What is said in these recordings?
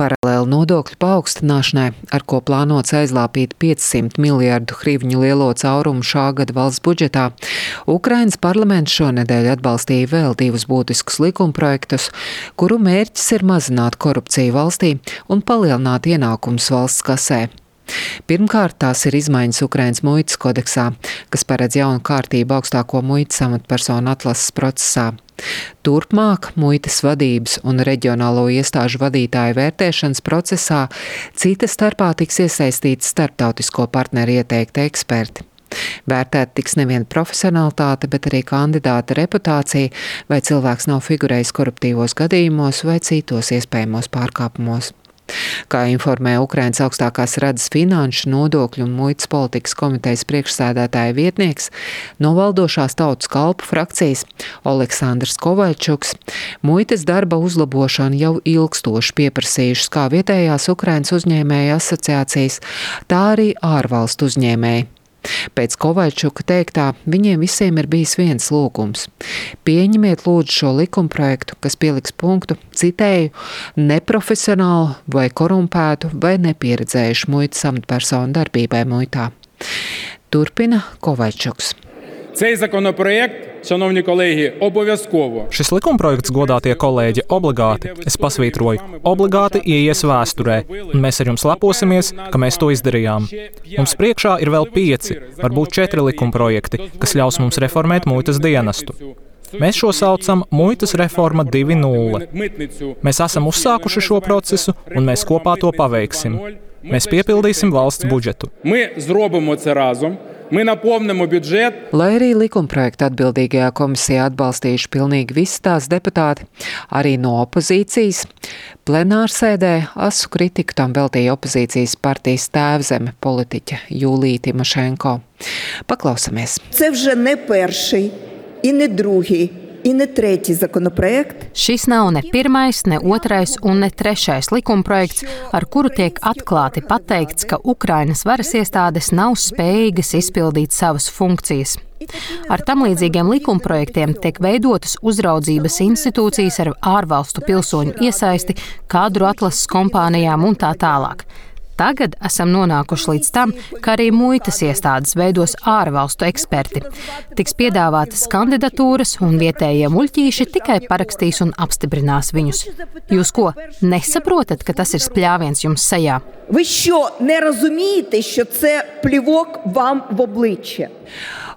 Paralēli nodokļu paaugstināšanai, ar ko plānots aizlāpīt 500 miljardu hryvņu lielo caurumu šā gada valsts budžetā, Ukrainas parlaments šonedēļ atbalstīja vēl divus būtiskus likumprojektus, kuru mērķis ir mazināt korupciju valstī un palielināt ienākumus valsts kasē. Pirmkārt, tās ir izmaiņas Ukrainas muitas kodeksā, kas paredz jaunu kārtību augstāko muitas amatpersonu atlases procesā. Turpmāk muitas vadības un reģionālo iestāžu vadītāju vērtēšanas procesā cita starpā tiks iesaistīti starptautisko partneru ieteikti eksperti. Vērtēt tiks nevien profesionalitāte, bet arī kandidāta reputācija, vai cilvēks nav figurējis koruptīvos gadījumos vai citos iespējamos pārkāpumos. Kā informē Ukrainas augstākās radas finanšu, nodokļu un muitas politikas komitejas priekšsēdētāja vietnieks no valdošās Tautas kalpu frakcijas Oleksandrs Kovaļčuks, muitas darba uzlabošanu jau ilgstoši pieprasījušas kā vietējās Ukrainas uzņēmēju asociācijas, tā arī ārvalstu uzņēmēji. Pēc Kovaļčuka teiktā, viņiem visiem ir bijis viens lūgums. Pieņemiet lūdzu šo likumprojektu, kas pieliks punktu, citēju, neprofesionālu vai korumpētu vai nepieredzējušu muitas amatpersonu darbībai muitā. Turpina Kovaļčuks. Цей законопроєкт, шановні колеги, обов'язково. Šis likumprojekts, godātie kolēģi, obligāti, es pasvītroju, obligāti ieies vēsturē, un mēs ar jums leposimies, ka mēs to izdarījām. Mums priekšā ir vēl 5, varbūt 4 likumprojekti, kas ļaus mums reformēt muitas dienestu. Mēs šo saucam muitas reforma 2.0. Mēs esam uzsākuši šo procesu, un mēs kopā to paveiksim. Mēs piepildīsim valsts budžetu. Lai arī likumprojektu atbildīgajā komisijā atbalstījuši pilnīgi visi tās deputāti, arī no opozīcijas, plenārsēdē asu kritiku tam veltīja opozīcijas partijas tēvzeme politiķe Julija Timošenko. Paklausamies. Це вже не перший і не другий. Šis nav ne pirmais, ne otrais un ne trešais likumprojekts, ar kuru tiek atklāti pateikts, ka Ukrainas varas iestādes nav spējīgas izpildīt savas funkcijas. Ar tam līdzīgiem likumprojektiem tiek veidotas uzraudzības institūcijas ar ārvalstu pilsoņu iesaisti, kadru atlases kompānijām un tā tālāk. Tagad esam nonākuši līdz tam, ka arī muitas iestādes veidos ārvalstu eksperti. Tiks piedāvātas kandidatūras un vietējie muļķīši tikai parakstīs un apstiprinās viņus. Jūs ko, nesaprotat, ka tas ir spļāviens jums sejā? Ви що, не розумієте, що це плівок вам в обличчя?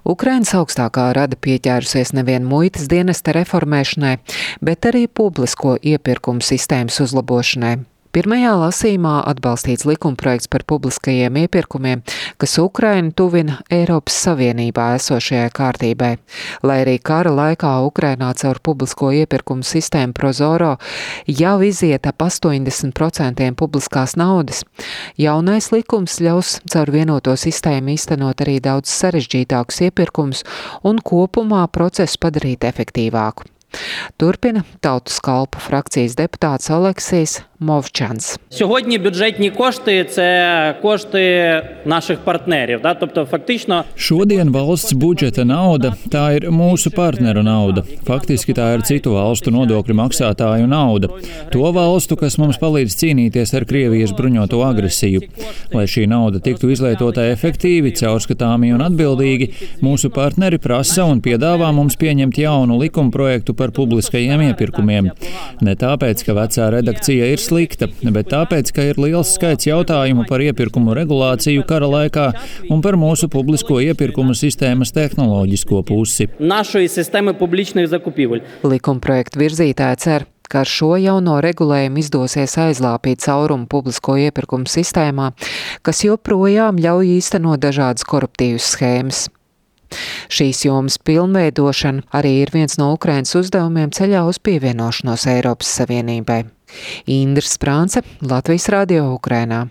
Ukrainas augstākā rada pieķērusies nevien muitas dienesta reformēšanai, bet arī publisko iepirkumu sistēmas uzlabošanai. Pirmajā lasījumā atbalstīts likumprojekts par publiskajiem iepirkumiem, kas Ukrainu tuvina Eiropas Savienībā esošajai kārtībai. Lai arī kara laikā Ukrainā caur publisko iepirkumu sistēmu Prozoro jau iziet ap 80% publiskās naudas, jaunais likums ļaus caur vienoto sistēmu īstenot arī daudz sarežģītākus iepirkumus un kopumā procesu padarīt efektīvāku. Turpina Tautas kalpu frakcijas deputāts Oleksijs Мовчанс. Сьогодні бюджетні кошти – це кошти наших партнерів. Тобто, фактично... Šodien valsts budžeta nauda, tā ir mūsu partneru nauda. Faktiski tā ir citu valstu nodokļu maksātāju nauda. To valstu, kas mums palīdz cīnīties ar Krievijas bruņoto agresiju. Lai šī nauda tiktu izlietota efektīvi, caurskatāmi un atbildīgi, mūsu partneri prasa un piedāvā mums pieņemt jaunu likumprojektu par publiskajiem iepirkumiem. Ne tāpēc, ka vecā redakcija ir slikta, bet tāpēc, ka ir liels skaits jautājumu par iepirkumu regulāciju kara laikā un par mūsu publisko iepirkumu sistēmas tehnoloģisko pusi. Likumprojektu virzītāji cer, ka ar šo jauno regulējumu izdosies aizlāpīt caurumu publisko iepirkumu sistēmā, kas joprojām ļauj īstenot dažādas koruptīvas schēmas. Šīs jomas pilnveidošana arī ir viens no Ukrainas uzdevumiem ceļā uz pievienošanos Eiropas Savienībai. Indra Sprānce, Latvijas Radio Ukrainā.